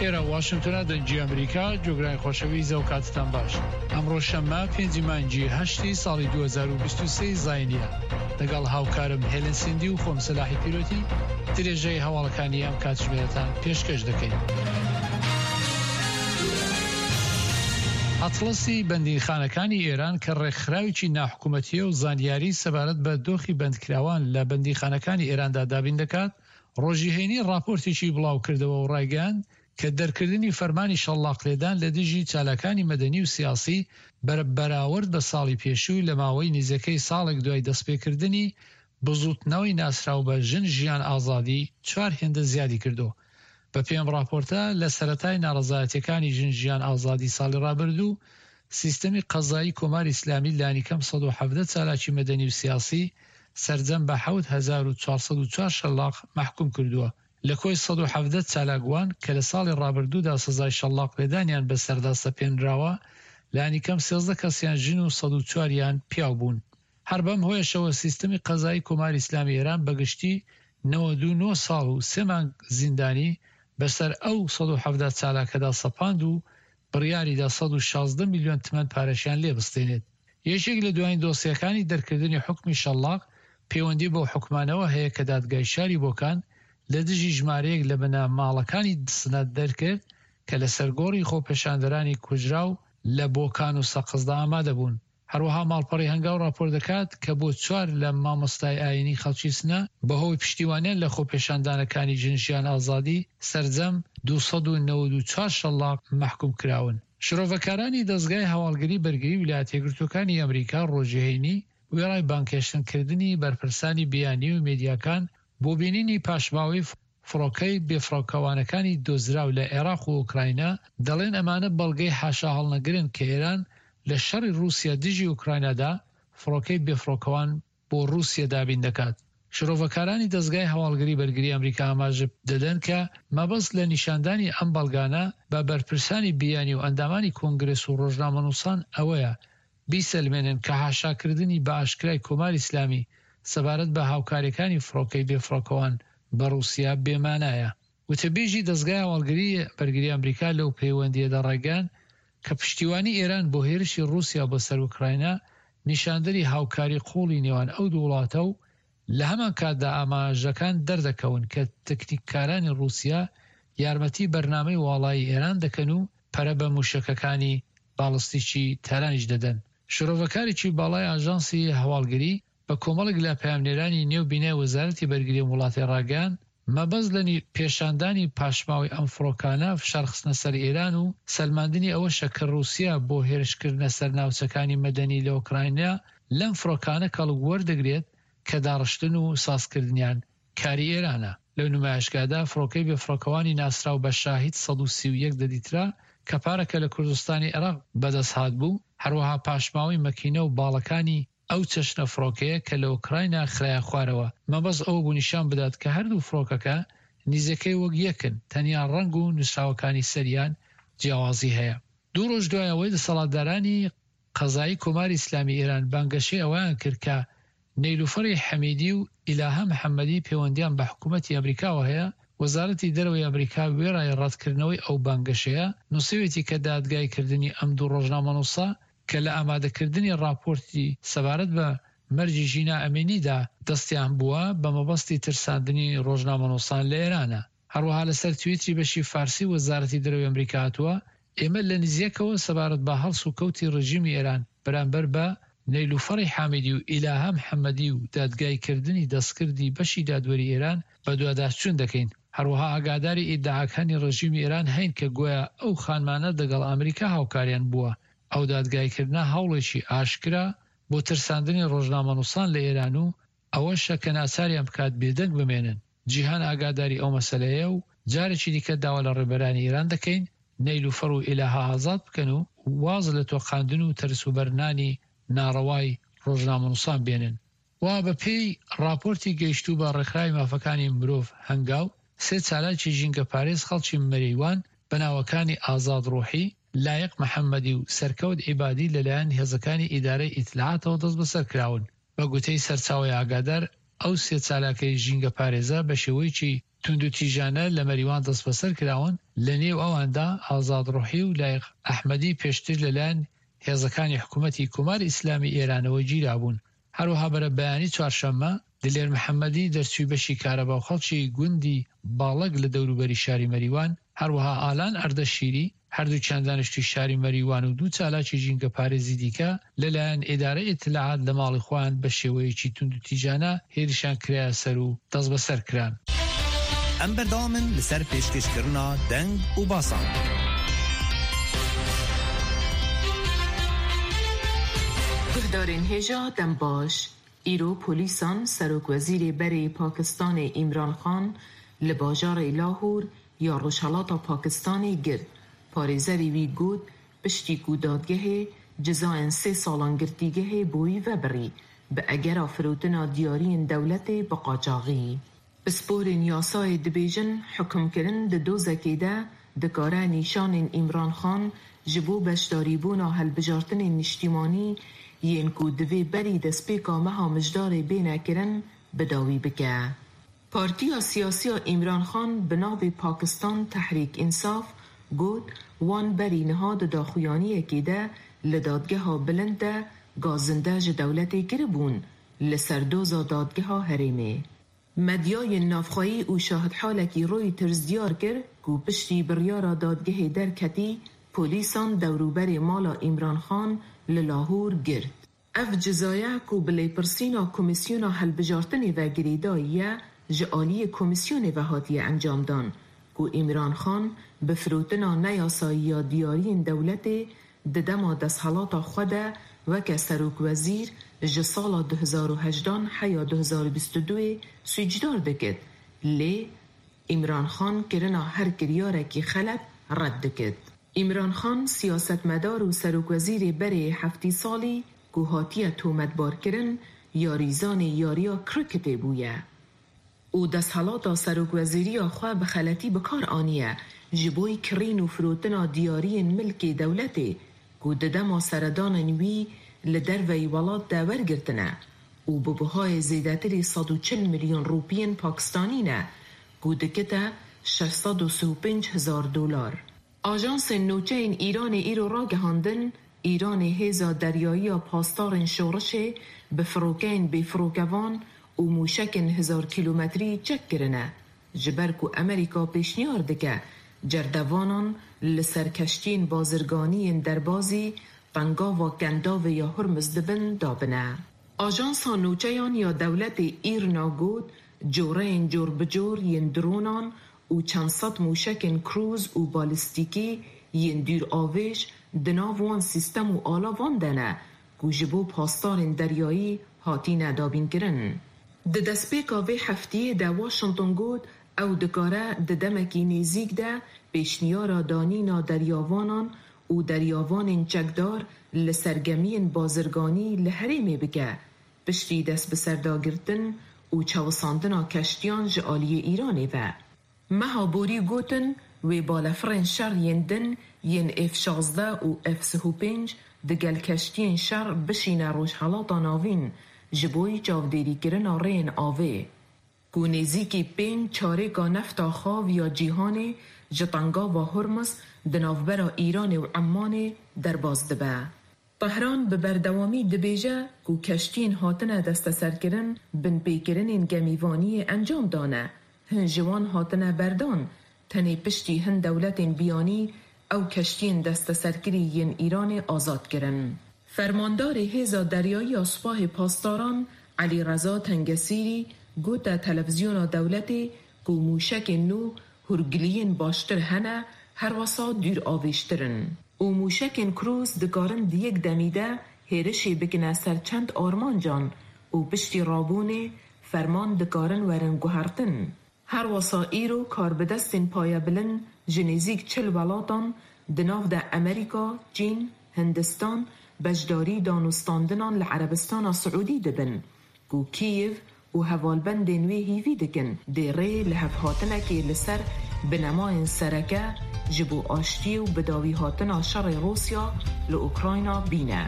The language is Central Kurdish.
ئێرە واشنتۆنە دەنگی ئەمریکا جۆگرانی خۆشەویست ئەو کاتتان باش ئەمڕۆ شەممە پێنجی مانگی هەشتی ساڵی 2023 زاینیە لەگەڵ هاوکارم هێلن سیندی و خۆم سەلاحی پیرۆتی درێژەی هەواڵەکانی ئەم کاتژمێرەتان پێشکەش دەکەین. ئەتڵەسی بەندینخانەکانی ئێران کە ڕێکخراوێکی ناحکومەتییە و زانیاری سەبارەت بە دۆخی بەندکراوان لە بەندیخانەکانی ئێراندا دابین دەکات، ڕۆژی هەینی ڕاپۆرتێکی بڵاوکردەوە و ڕایگەیاند کە دەرکردنی فەرمانی شەللاقلێدان لە دژی چالاکانی مەدەنی و سیاسی بە بەراورد بە ساڵی پێشوو لە ماوەی نزیکەی ساڵێک دوای دەستپێکردنی بزووتنەوەی ناسراو بە ژن ژیان ئازادی چوار هێندە زیادی کردووە. بەپێی ئەم ڕاپۆرتە، لە سەرەتای ناڕەزایەتییەکانی ژن ژیان ئازادی ساڵی ڕابردوو، سیستەمی قەزایی کۆماری ئیسلامی لانیکەم 117 چالاکی مەدەنی و سیاسی سەرجەم بە 7404 شەلاق مەحکوم کردووە. لە کۆی 117 چالاکوان کە لە ساڵی ڕابردوودا سزای شەلاق لێدانیان بەسەردا سەپێنراوە، لانیکەم 13 کەسیان ژن و 104 یان پیاو بوون. هەر بەم هۆیەشەوە سیستمی قەزایی کۆماری ئیسلامی ئێران بە گشتی 99 ساڵ و سێ مانگ زیندانی بەسەر ئەو 117 چالاکەدا سەپاند و بڕیاریدا 116 میلیۆن تمەن پارەشیان لێ بستێنێت. یەکێک لە دوایین دۆسیەکانی دەرکردنی حوکمی شەللاق پەیوەندی بەو حوکمانەوە هەیە کە دادگای شاری بۆکان لە دژی ژمارەیەک لە بنەماڵەکانی سنە دەرکرد کە لەسەر گۆڕی خۆپێشاندەرانی کوژراو لە بۆکان و سەقزدا ئامادە بوون. هەروەها ماڵپەڕی هەنگاو ڕاپۆرت دەکات کە بۆ چوار لە مامۆستای ئایینی خەڵکی سنە بەهۆی پشتیوانیان لە خۆپێشاندانەکانی ژن ژیان ئازادی سەرجەم 294 شەللاق مەحکوم کراون. شرۆڤەکارانی دەزگای هەواڵگری بەرگری ویلایەتە یەکگرتووەکانی ئەمریکا ڕۆژی هەینی وێڕای بانگهێشتن کردنی بەرپرسانی بیانی و مێدیاکان بۆ بینینی پاشماوەی فڕۆکەی بێفڕۆکەوانەکانی دۆزراو لە عێراق و ئۆکراینا، دەڵێن ئەمانە بەڵگەی حاشاهەڵنەگرن کە ئێران لە شەڕی ڕووسیا دژی ئۆکراینادا فڕۆکەی بێفڕۆکەوان بۆ ڕووسیە دابین دەکات. شرۆڤەکارانی دەزگای هەواڵگری بەرگری ئەمریکا ئاماژە دەدەن کە مەبەست لە نیشاندانی ئەم بەڵگانە بە بەرپرسانی بیانی و ئەندامانی کۆنگرێس و ڕۆژنامەنووسان ئەوەیە بیسەلمێنن کە حاشاکردنی بە ئاشکرای کۆماری ئیسلامی سەبارەت بە هاوکارییەکانی فڕۆکەی بێفڕۆکەوان بە ڕووسیا بێ مانایە. وتەبێژی دەزگای هەواڵگری بەرگری ئەمریکا لەو پەیوەندییەدا ڕایگەیاند کە پشتیوانی ئێران بۆ هێرشی ڕووسیا بۆ سەر ئوکراینا نیشاندەری هاوکاری قووڵی نێوان ئەو دوو وڵاتە و لە هەمان کاتدا ئاماژەکان دەردەکەون کە تەکنیککارانی ڕووسیا یارمەتی بەرنامەی واڵایی ئێران دەکەن و پەرە بە مووشەکەکانی باڵستیکی تارانیش دەدەن. شرۆڤەکارێکی باڵای ئاژانسی هەواڵگری بە کۆمەڵێک لە پەیامنێرانی نێو بینای وەزارەتی بەرگری ئەم وڵاتەی ڕاگەیاند، مەبەست لە پێشاندانی پاشماوەی ئەم فڕۆکانە فشارخستنە سەر ئێران و سەلماندنی ئەوەشە کە ڕووسیا بۆ هێرشکردنە سەر ناوچەکانی مەدەنی لە ئۆکراینا لەم فڕۆکانە کەڵک وەردەگرێت کە داڕشتن و سازکردنیان کاری ئێرانە. لەو نمایشگادا فڕۆکەی بێفڕۆکەوانی ناسراو بە شاهید 131 دەدیترا کە پارەکە لە کوردستانی عێراق بەدەست هاتبوو، هەروەها پاشماوەی مەکینە و باڵەکانی ئەو چەشنە فڕۆکەیە کە لە ئۆکراینا خرایە خوارەوە، مەبەست ئەوە بوو نیشان بدات کە هەردوو فڕۆکەکە نیزەکەی وەک یەکن، تەنیا ڕەنگ و نووسراوەکانی سەریان جیاوازی هەیە. دوو ڕۆژ دوای ئەوەی دەسەڵاتدارانی قەزایی کۆماری ئیسلامی ئێران بانگەشەی ئەوەیان کرد کە نەیلوفەری حەمیدی و ئیلاهە محەمەدی پێوەندیان بە حکوومەتی ئەمریکاوە هەیە، وەزارەتی دەرەوەی ئەمریکا وێڕای ڕەتکردنەوەی ئەو بانگەشەیە، نووسیویەتی کە دادگایکردنی ئەم دوو ڕۆژنامەنووسە کە لە ئامادەکردنی ڕاپۆرتی سەبارەت بە مەرگی ژینا ئەمینیدا دەستیان بووە، بە مەبەستی ترساندنی ڕۆژنامەنووسان لە ئێرانە. هەروەها لەسەر تویتری بەشی فارسی وەزارەتی دەرەوەی ئەمریکا هاتووە، ئێمە لە نزیەکەوە سەبارەت بە هەڵس و کەوتی ڕێژیمی ئێران بەرامبەر بە نەیلوفەڕی حامیدی و ئیلاهە محەمەدی و دادگای کردنی دەستکردی بەشی دادوەری ئێران بەدواداچوون دەکەین. هەروەها ئاگاداری ئیدعاکانی ڕێژیمی ئێران هەین کە گۆیا ئەو خانمانە دەگەڵ ئامریکا هاوکاریان بووە. ئەو دادگای کردنە هەوڵێکی ئاشکرا بۆ ترساندنی ڕۆژنامەنووسان لە ئێران و ئەوەشە کە ناچاریان بکات بێدەنگ بمێنن. جیهان ئاگاداری ئەو مەسەلەیە و جارێکی دیکە داوا لە ڕێبەرانی ئێران دەکەین نەیلوفەر و ئیلاهە ئازاد بکەن و واز لە تۆقاندن و تەرسوبەرنانی ناڕەوای ڕۆژنامەنووسان بێنن. و بە پێی ڕاپۆرتی گەیشتوو بە ڕێکخراوی مافەکانی مرۆڤ هەنگاو، سێ چالاکی ژینگەپارێز خەڵکی مەریوان بە ناوەکانی ئازاد ڕوحی، لایق محەمەدی و سەرکەوت عیبادی لەلایەن هێزەکانی ئیدارەی ئیتلاعاتەوە دەستبەسەر کراون. بە گوتەی سەرچاوەی ئاگادار، ئەو سێ چالاکەی ژینگەپارێزە بە شێوەیەکی. توندوتیژانە لە مەریوان دەستبەسەر کراون، لە نێو ئەواندا ئازاد ڕوحی و لایق ئەحمەدی پێشتر لەلایەن هێزەکانی حکوومەتی کۆماری ئیسلامی ئێرانەوە گیرابوون. هەروەها بەرەبەیانی چوارشەممە، دلێر محەممەدی دەرچووی بەشی کارەبا و خەڵکی گوندی باڵەک لە دەوروبەری شاری مەریوان، هەروەها ئالان ئەردەشیری، هەردووکیان دانیشتووی شاری مەریوان و دوو چالاکی ژینگەپارێزی دیکە لەلایەن ئیدارەی ئیتلاعات لە ماڵی خۆیان بە شێوەیەکی توندوتیژانە هێرشیان کرایە سەر و دەستبەسەر کران. ئەم بەردەوامن لەسەر پێشکەشکردنا دەنگ و باسان. Guhdarên hêja dem baş. Îro polîsan Serokwezîrê berê Pakistanê Îmran Xan li bajarê Lahor ya rojhelata Pakistanê girt. Parêzerê wî got piştî ku dadgehê cezayên sê salan girtîgehê bo wî vebirî bi egera firotina diyariyên dewletê bi qaçaxî. Pisporên yasayê dibêjin hukimkirin di dozekê de dikare nîşanên Îmran Xan ji bo beşdarîbûna hilbijartinên niştîmanî yên ku divê berî destpêka meha Mijdarê bêne kirin bi dawî bike. Partiya siyasî ya Îmran Xan bi navê Pakistan Tehrîk Însaf got wan berî niha di daxuyaniyekê de li dadgeha bilind de gazinde ji dewletê kiribûn li ser doza dadgeha herêmê. Medyayên navxweyî û şahidhalekî Reuters diyar kir ku piştî biryara dadgehê derketî, polîsan dewrûberê mala Îmran Xan li Lahor girt. Ev cezaya ku bi lêpirsîna Komîsyona Hilbijartinê ve girêdayî ye, ji aliyê komîsyonê ve hatiye encamdan ku Îmran Xan bi firotina neyasayî ya diyariyên dewletê di dema desthelata xwe de weke serokwezîr ji sala 2018 heya 2022 ê sûcdar dikit lê Îmran Xan kirina her kiryarekî xelet red dikit. Îmran Xan siyasetmedar û serokwezîrê berê yê heftî salî ku hatiye tometbarkirin yarîzanê yariya kriketê bûye û desthelata serokwezîriya xwe bi xeletî bi kar aniye ji bo kirîn û firotina diyariyên milkê dewletê ku di dema seredanên wî li derveyî welat de wergirtine û bi buhayê zêdetirî 140 milyon rûpiyên Pakistanî ne ku dikite 635 hezar dolar. Ajansên nûçeyên Îranê îro ragihandin, Îranê hêza deryayî ya Pasdarên Şorişê bi firokeyên bêfirokevan û mûşekên hezar kîlometrî çek kirine, ji ber ku Amerîka pêşniyar dike cerdevanan li ser keştiyên bazirganî yên derbazî Tengava Kendavê ya Hurmuz dibin dabine. Ajansa nûçeyan ya dewletê IRNA got, Coreyên corbicor yên dronan û çend sed mûşekên krûz û balîstîkî yên dûravêj di nav wan sîstem û alavan de ne ku ji bo pasdarên deryayî hatine dabînkirin. Di destpêka vê hefteyê de Washington got ew dikare di demekî nêzîk de pêşniyara danîna deryavanan û deryavanên çekdar li ser gemiyên bazirganî li herêmê bike, piştî destbiserdagirtin û çewisandina keştiyan ji aliyê Îranê ve. Meha borî gotin wê balefirên şer yên din yên F 16 û F 35 digel keştiyên şer bişîne Rojhelata Navîn ji bo çavdêrîkirina rêyên avê ku nêzîkî pênc çarêka nefta xav ya cîhanê ji Tengava Hurmuz di navbera Îranê û Emmanê derbas dibe. Tehran bi berdewamî dibêje ku keştiyên hatine desteserkirin binpêkirinên gemîvaniyê encam dane, hin ji wan hatine berdan, tenê piştî hin dewletên biyanî ew keştiyên desteserkirî yên Îranê azad kirin. Fermandarê Hêza Deryayî ya Supahê Pasdaran Elî Reza Tengesîrî gote televîzyona dewletê ku mûşekên nû hûrgiliyên baştir hene herwesa dûravêjtir in û mûşekên krûz dikarin di yek demî de hêrişê bikine ser çend armancan û piştî rabûnê ferman dikarin werin guhertin. Herwesa îro karbidestên payebilind ji nêzîk 40 welatan di nav de Amerîka, Çîn, Hindistan beşdarî danûstandinan li Erebistana Siûdî dibin ku Kîev û hevalbendên wê hêvî dikin dê rê li hevhatinekê li ser binemayên sereke ji bo aştiyê û bidawîhatina şerê Rûsya li Ukrayna bîne.